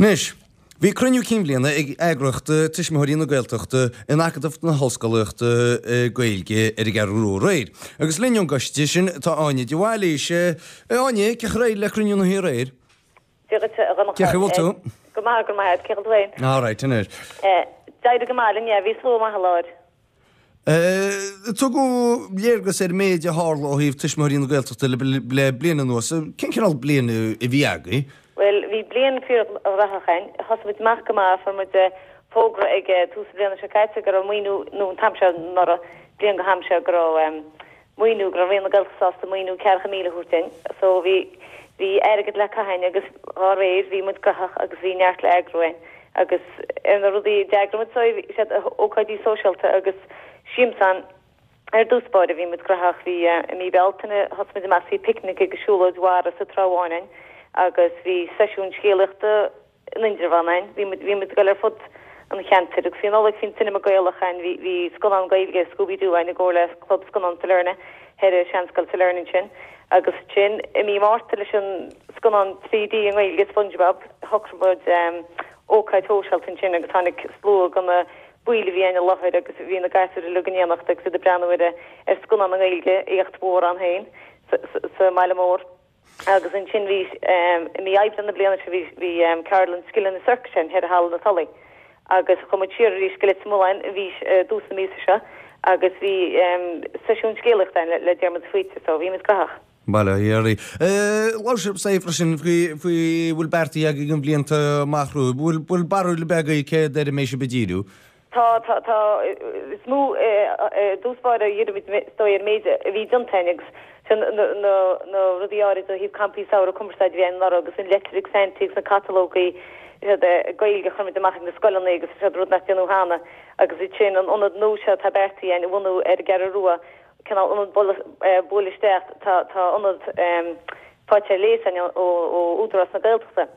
Anois, bhí cruinniú cinn bhliana ag eagraíocht Tuismitheoirí na Gaeltachta in Acadamh na hOllscolaíochta Gaeilge ar an gCeathrú Rua aréir. Agus linn ón gcoiste sin tá Áine de Bhailís. Áine, cén chaoi ar éirigh le cruinniú na hoíche aréir? Dia dhuit, a Dhonncha. Cén chaoi a bhfuil tú? Go maith, go raibh maith agat. Cén chaoi a bhfuil tú féin? All right, anois. D'éirigh go maith linn, yeah, bhí slua maith i láthair. Tugadh léargas ar an méid a tharla ó thaobh Tuismitheoirí na Gaeltachta le bliain anuas. Cén cineál bliain a bhí agaibh? Bhuel, bhí bliain fíorghnóthach againn. Thosaigh muid amach go maith, fuair muid fógra ag tús na bliana seo caite go raibh maoiniú, nó an t-am seo anuraidh, bliain go ham seo, go raibh maoiniú, go raibh Roinn na Gaeltachta sásta maoiniú 40,000 a thabhairt dúinn. So bhí, bhí airgead le caitheamh againn agus dhá réir bhí muid graitheach agus bhí neart le eagrú againn. Agus ar na rudaí a d'eagraigh muid, so siad ócáidí sóisialta agus siamsáin ar dtús báire, bhí muid graitheach. Bhí, i mí Bealtaine thosaigh muid amach, bhí picnic agus siúlóid mhara sa Trá Bháin againn agus bhí seisiún scéalaíochta, in Indreabhán againn. Bhí muid, bhí muid ag dul ar fud an cheantair agus faoi Nollaig bhí an Cinema Gaelach againn, bhí, bhí scannán Gaeilge, Scooby Doo againn i gcomhar le Club Scannán Sailearna thoir i Seanscoil Sailearna ansin. Agus ansin i mí Márta leis an scannán 3D i nGaeilge, SpongeBob, shocraigh muid ócáid shóisialta ansin agus tháinig slua de na baill a bhí ann i láthair agus bhí na gasúir uilig in éineacht agus iad ag breathnú ar ar scannán i nGaeilge, éacht mhór ann féin sa, sa mbaile mór. Agus ansin bhí, i mí Aibreán na bliana seo, bhí, bhí ceardlann scileanna sorcais againn thoir i Halla na Tulaí. Agus chuaigh muid siar arís go Leitir Mealláin i mí, i dtús na míosa seo agus bhí seisiún scéalaíochta againn le Diarmuid de Faoite, so bhí muid graitheach. Bail ó Dhia oraibh. Labhair sibh freisin faoi, faoi bhfuil beartaithe agaibh don bhliain atá amach romhaibh. Bhfuil, bhfuil barúil ar bith agaibh céard ar a mbeidh sibh ag díriú? Tá, tá, tá. Is mó i dtús báire a dhíreoidh muid is dóigh ar an méid a bhí déanta againn agus sin na, na, na rudaí áirid ó thaobh campaí samhraidh cumarsáid a bhí againn anuraidh agus an leitir ag Santy agus na catalógaí siad Gaeilge a chuir muid amach ag na scoileanna agus siad rud nach déanadh cheana agus ansin an ionad nua seo atá beartaithe againn a bhunú ar an gCeathrú Rua, cineál ionad buail isteach, tá, tá ionad faighte ar léas againn ó, ó Údarás na Gaeltachta.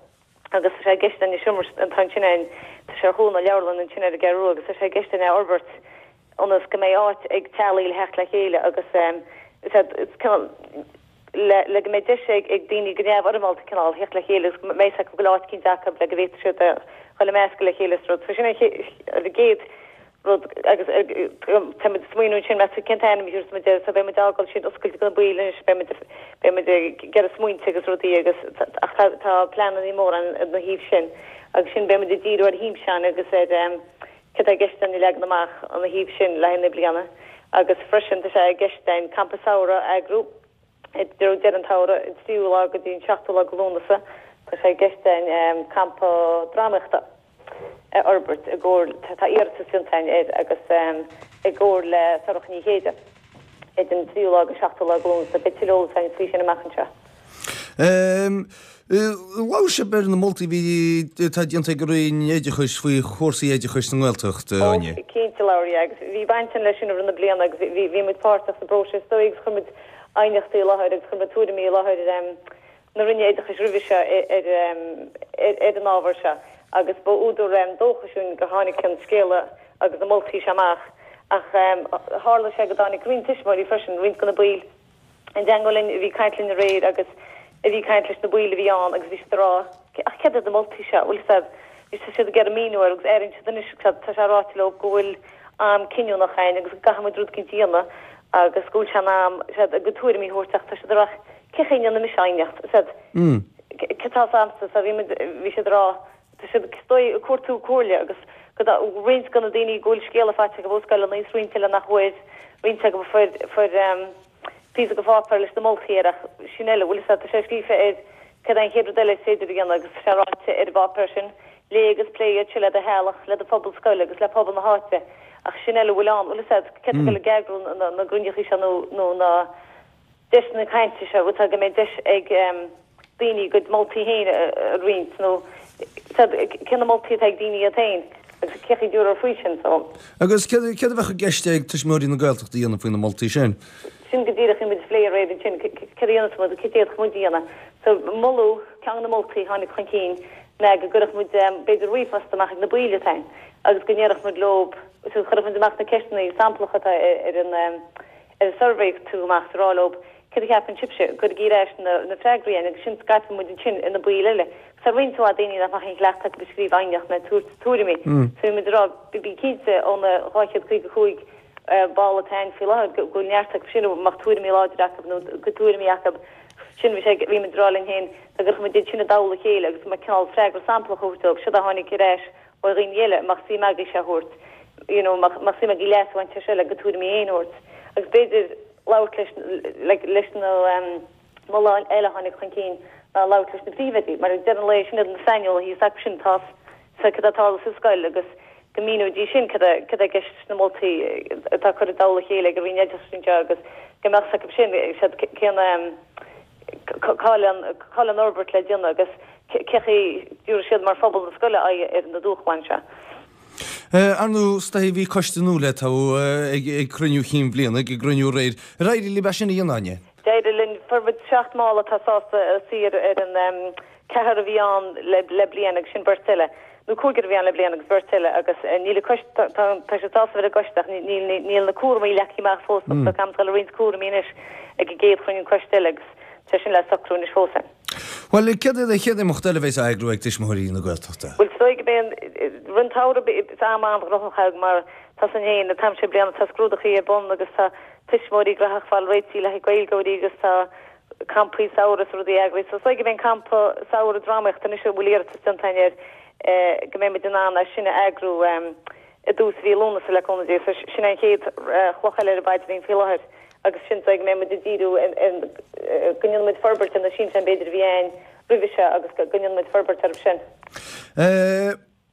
agus tá sé i gceist againn an seomra atá ansin ann, tá sé ar chúl na leabharlann ansin ar an gCeathrú Rua agus tá sé i gceist againn é a fhorbairt ionas go mbeidh áit ag teaghlaigh le theacht le chéile agus is cineál le le go mbeidh deis ag ag daoine go neamhfhoirmeálta cineál theacht le chéile agus go mbeidh fhios acu go bhfuil áit eicínt acu le go bhféadfaidh siad a dhul ag meascadh le chéile is rud. So sin an chéad rud agus tá muid ag smaoineamh ansin meas tú cén t-ainm a thabharfas muid air so beidh muid ag fágáil sin oscailte do na baill anois beidh muid beidh muid ag iarraidh smaointe agus rudaí agus ach tá tá pleananna móra ann ina thaobh sin agus sin beidh muid ag díriú ar shiamsáin agus ar céard atá i gceist againn a leagan amach ina thaobh sin le haghaidh na bliana agus freisin tá sé i gceist againn campa samhraidh a eagrú i dtreo deireadh an tsamhraidh, an tríú lá go dtí an seachtú lá de Lúnasa, tá sé i gceist againn campa drámaíochta a fhorbairt i gcomhar, tá iarratas déanta againn air agus i gcomhar le Sorcha Ní Chéide idir an tríú lá agus seachtú lá de Lúnasa. Beidh tuilleadh eolais againn faoi sin amach anseo. Labhair sibh ar na moltaí a bhí, atá déanta ag an Roinn Oideachais faoi chúrsaí oideachais sa nGaeltacht, a Áine. Ó, cinnte, labhair, yeah, agus bhí baint againn leis sin i rith na bliana agus bhí, bhí muid páirteach sa bpróiseas is dóigh agus chuir muid aighneachtaí i láthair agus chuir muid tuairimí i láthair na Roinne Oideachais roimhe seo ar, ar, ar an ábhar seo agus ba údar dóchais dúinn gur tháinig an scéala agus na moltaí seo amach ach tharla sé go dtáinig roinnt tuismitheoirí freisin, roinnt de na baill i dteagmháil linn a bhí ag caint linn aréir agus a bhí ag caint leis na baill a bhí ann agus bhí siad ag rá ach céard iad na moltaí seo, bhfuil fhios a'd, bhí siad ag iarraidh míniú air agus airíonn siad anois tá sé ráite leo go bhfuil am cinniúnach againn agus go gcaithfidh muid rud eicínt a dhéanamh agus go bhfuil sé in am siad a gcuid tuairimí a thabhairt ach tá siad ag rá cén chaoi a ndéanfaidh mise aighneacht, fhios a'd, cé tá fhios a'msa so bhí muid, bhí siad ag rá tá siad is dóigh ag cuartú comhairle agus go roinnt de na daoine go bhfuil scéala faighte acu ó scoileanna is roinnt eile nach bhfuair, roinnt acu a fuair, fuair. píosa de pháipéar leis na moltaí air ach sin eile, bhfuil fhios a'd, tá sé scríofa air céard é an chéad rud eile is féidir a dhéanamh agus tá sé ráite ar an bpáipéar sin, léigh agus pléigh iad seo le do theaghlach, le do phobal scoile agus le pobal na háite ach sin eile a bhfuil ann, bhfuil fhios a'd, cé atá ag dul ag eagrú na gcruinneachaí seo nó nó na deiseanna cainte seo, bhfuil fhios a'd, go mbeidh deis ag daoine a gcuid moltaí féin a roinnt nó cé na moltaí atá ag daoine iad féin agus cé chaoi a dtabharfar faoi sin so. Agus céard a bheadh i gceist ag Tuismitheoirí na Gaeltachta a dhéanamh faoi na moltaí sin? Sin go díreach, bhí muid ag plé aréir ansin, céard a dhéanfas muid, céard a d'fhéadfadh muid a dhéanamh. So moladh, ceann de na moltaí a tháinig chun cinn ná go gcuirfeadh muid b'fhéidir ríomhphost amach ag na baill atá ann agus go ndéarfadh muid leo, so chuirfeadh muid amach na ceisteanna samplacha atá ar an ar an suirbhé a tugadh amach is a rá leo céard a cheapann sibhse, cuirigí ar ais na freagraí againn agus sin scaipfidh muid ansin ar na baill eile. Tá roinnt mhaith daoine nach mbeadh aon chleachtadh acu ag scríobh aighneacht ná ag tabhairt tuairimí. So bhí muid ag rá, bí cinnte ó na 255 ball atá ann faoi láthair go bhfuil neart acu sin a mbeadh tuairimí láidre acu nó cuid tuairimí acu. Sin bhí sé, bhí muid ag rá linn féin dá gcuirfeadh muid iad sin i dtoll a chéile agus mar cineál freagra samplach a thabhairt dóibh, siod a tháinig ar ais ó dhaoine eile, mbeadh suim agaibh seo a thabhairt, you know, mbeadh suim agaibh leas a bhaint as seo le bhur dtuairimí féin a thabhairt. Agus b'fhéidir labhairt leis, leis na. Moladh eile a tháinig chun cinn ná labhairt leis na príomhoidí, mar ag deireadh an lae sin iad na saineolaithe, is acu sin atá fhios cad atá ag tarlú sa scoil agus go míneoidís sin cad atá i gceist leis na moltaí atá curtha i dtoll a chéile ag an Roinn Oideachais anseo agus go mbeadh fhios acu sin cén cá bhfuil an fhorbairt le déanamh agus cé chaoi a dtabharfaidh siad mar phobal na scoile aghaidh ar na dúshláin seo. Ar ndóigh, is dóichí bhí coiste nua le toghadh ag cruinniú chinn bhliana, ag an gcruinniú aréir. Ar éirigh libh é sin a dhéanamh, Áine? D'éirigh linn. Fuair muid 7 mball atá sásta suí ar an ceathrar a bhí ann le bliain agus sin beirt eile, nó cúigear a bhí ann le bliain agus beirt eile agus níl an coiste, tá siad sásta bheith ar an gcoiste ach níl na cúramaí leagtha amach fós so caithfimid dul i roinnt cúramaí anois ag an gcéad chruinniú coiste eile agus tá sin le socrú anois fós. Bhuel, céard é an chéad imeacht eile a bheas á eagrú ag Tuismitheoirí na Gaeltachta? Bhuel, is dóigh go mbeidh an, rith an tsamhraidh, is am an-ghnóthach againn mar tá san féin, an t-am seo bliana tá scrúdachaí ar bun agus tá tuismitheoirí graitheach fáil réitithe le haghaidh Gaeilgeoirí agus tá campaí samhraidh is rudaí eagraithe. So is dóigh go mbeidh an campa samhraidh drámaíochta anois a bhfuil iarratas déanta againn air go mbeidh muid in ann é sin a eagrú i dtús mhí Lúnasa le cúnamh Dé. So sin é an chéad chloch eile ar an bpaidrín faoi láthair agus sin is dóigh go mbeidh muid ag díriú ar go ndéanfaidh muid forbairt ar na sinseáin b'fhéidir a bhí ann roimhe seo agus go ndéanfaidh muid forbairt orthu sin.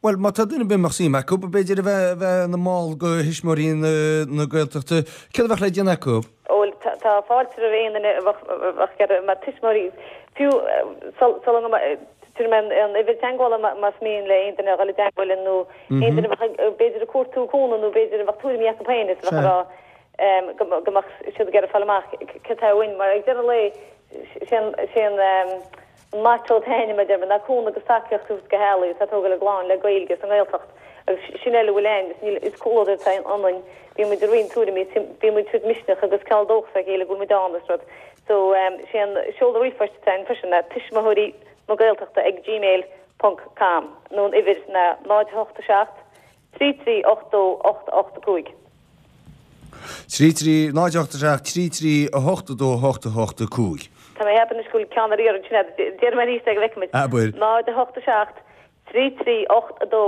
Bhuel, má tá duine ar bith a mbeadh suim acu, b'fhéidir, a bheith, bheith ina mball de Thuismitheoirí na Gaeltachta, céard a bheadh le déanamh acu? Bhuel, tá fáilte roimh aon duine a bheadh, a bheadh ag iarraidh, mar tuismitheoirí, fiú sula dtabharfaidh mé an uimhir teagmhála más mian le aon duine a dhul i dteagmháil linn nó aon duine a bheadh, b'fhéidir, ag cuartú cúnamh nó b'fhéidir a bheadh tuairimí acu féin is a bheadh ag rá go mbeadh siad ag iarraidh fáil amach cad atá uainn mar ag deireadh an lae, sé an. Motto atá againn, mar a deir mé, ná cúnamh agus tacaíocht a thabhairt do theaghlaigh atá ag tógáil a gclann le Gaeilge sa nGaeltacht agus sin uile a bhfuil ann agus níl, is comhluadar atá ionainn, bíonn muid ag roinnt tuairimí, bíonn muid ag tabhairt misneach agus cineál dóchas dá chéile go bhfuil muid ann is rud. So, sé an seoladh ríomhphoist atá ann freisin ná tuismitheoirí na Gaeltachta ag gmail ponc com nó an uimhir ná 0 8 7 3 3 8 2 8 8 5. 3 3 0 8 7 3 3 8 2 8 8 5. Tá mé ag ceapadh anois go bhfuil ceann ar iarraidh ansin agat. Déarfaidh mé arís é go bhfeicfidh muid. Abair. 0 8 7 3 3 8 2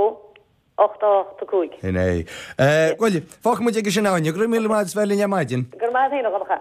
8 8 5. Sin é. Bhuel, fágfaidh muid aige sin Áine. Go raibh míle maith agat as bheith linn ar maidin. Go raibh maith agat féin, a Dhonncha.